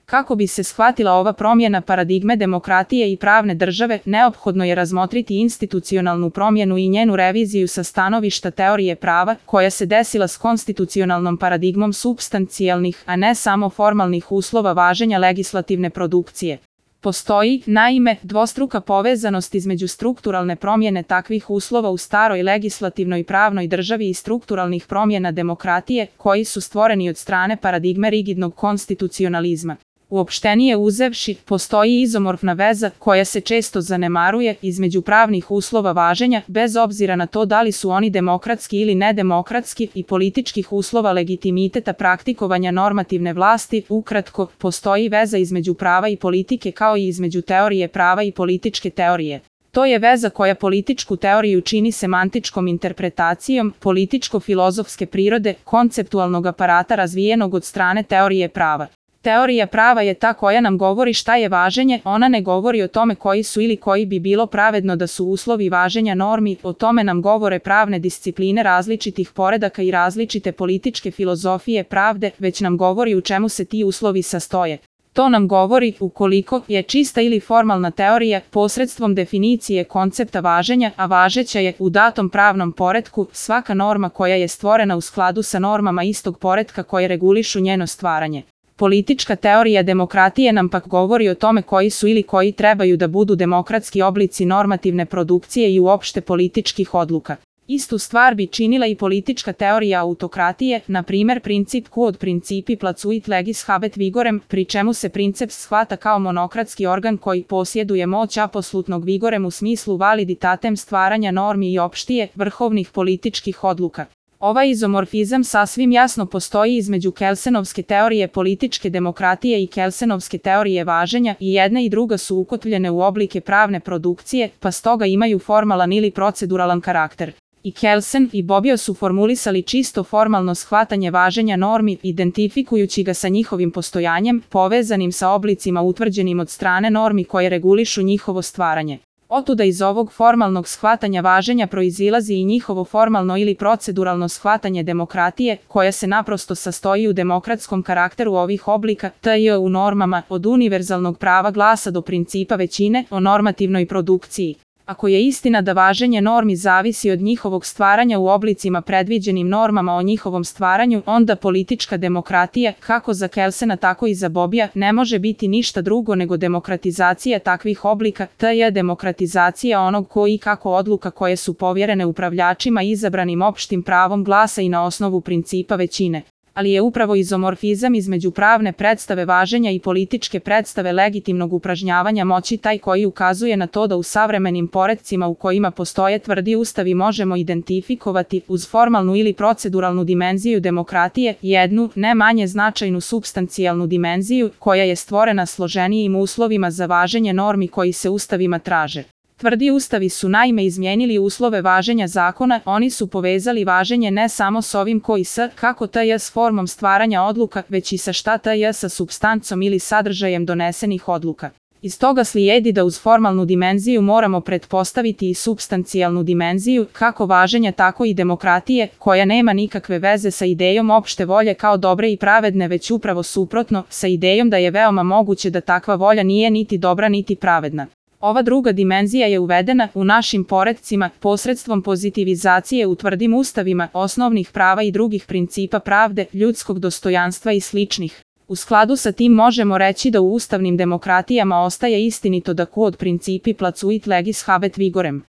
Kako bi se shvatila ova promjena paradigme demokratije i pravne države, neophodno je razmotriti institucionalnu promjenu i njenu reviziju sa stanovišta teorije prava, koja se desila s konstitucionalnom paradigmom supstancijalnih, a ne samo formalnih uslova važenja legislativne produkcije. Postoji, naime, dvostruka povezanost između strukturalne promjene takvih uslova u staroj legislativnoj pravnoj državi i strukturalnih promjena demokratije, koji su stvoreni od strane paradigme rigidnog konstitucionalizma. Uopštenije uzevši, postoji izomorfna veza, koja se često zanemaruje, između pravnih uslova važenja, bez obzira na to da li su oni demokratski ili nedemokratski, i političkih uslova legitimiteta praktikovanja normativne vlasti. Ukratko, postoji veza između prava i politike kao i između teorije prava i političke teorije. To je veza koja političku teoriju čini semantičkom interpretacijom, političko-filozofske prirode, konceptualnog aparata razvijenog od strane teorije prava. Teorija prava je ta koja nam govori šta je važenje, ona ne govori o tome koji su ili koji bi bilo pravedno da su uslovi važenja normi, o tome nam govore pravne discipline različitih poredaka i različite političke filozofije pravde, već nam govori u čemu se ti uslovi sastoje. To nam govori, ukoliko je čista ili formalna teorija, posredstvom definicije koncepta važenja, a važeća je u datom pravnom poretku svaka norma koja je stvorena u skladu sa normama istog poretka koje regulišu njeno stvaranje. Politička teorija demokratije nam pak govori o tome koji su ili koji trebaju da budu demokratski oblici normativne produkcije i uopšte političkih odluka. Istu stvar bi činila i politička teorija autokratije, na primer princip quod principi placuit legis habet vigorem, pri čemu se princeps shvata kao monokratski organ koji posjeduje moć apsolutnog vigorem u smislu validitatem stvaranja normi i opštije, vrhovnih političkih odluka. Ovaj izomorfizam sasvim jasno postoji između Kelsenovske teorije političke demokratije i Kelsenovske teorije važenja, i jedna i druga su ukotvljene u oblike pravne produkcije, pa stoga imaju formalan ili proceduralan karakter. I Kelsen i Bobbio su formulisali čisto formalno shvatanje važenja normi, identifikujući ga sa njihovim postojanjem, povezanim sa oblicima utvrđenim od strane normi koje regulišu njihovo stvaranje. Otuda iz ovog formalnog shvatanja važenja proizilazi i njihovo formalno ili proceduralno shvatanje demokratije, koja se naprosto sastoji u demokratskom karakteru ovih oblika, tj. u normama, od univerzalnog prava glasa do principa većine, o normativnoj produkciji. Ako je istina da važenje normi zavisi od njihovog stvaranja u oblicima predviđenim normama o njihovom stvaranju, onda politička demokratija, kako za Kelsena tako i za Bobbia, ne može biti ništa drugo nego demokratizacija takvih oblika, tj. demokratizacija onog ko i kako odluka koje su povjerene upravljačima izabranim opštim pravom glasa i na osnovu principa većine. Ali je upravo izomorfizam između pravne predstave važenja i političke predstave legitimnog upražnjavanja moći taj koji ukazuje na to da u savremenim poretcima u kojima postoje tvrdi ustavi možemo identifikovati, uz formalnu ili proceduralnu dimenziju demokratije, jednu, ne manje značajnu supstancijalnu dimenziju, koja je stvorena složenijim uslovima za važenje normi koji se ustavima traže. Tvrdi ustavi su naime izmijenili uslove važenja zakona, oni su povezali važenje ne samo s ovim koji s, kako tj. s formom stvaranja odluka, već i sa šta tj. sa supstancom ili sadržajem donesenih odluka. Iz toga slijedi da uz formalnu dimenziju moramo pretpostaviti i supstancijalnu dimenziju, kako važenja tako i demokratije, koja nema nikakve veze sa idejom opšte volje kao dobre i pravedne, već upravo suprotno, sa idejom da je veoma moguće da takva volja nije niti dobra niti pravedna. Ova druga dimenzija je uvedena u našim poretcima posredstvom pozitivizacije u tvrdim ustavima, osnovnih prava i drugih principa pravde, ljudskog dostojanstva i sličnih. U skladu sa tim možemo reći da u ustavnim demokratijama ostaje istinito da quod principi placuit legis habet vigorem.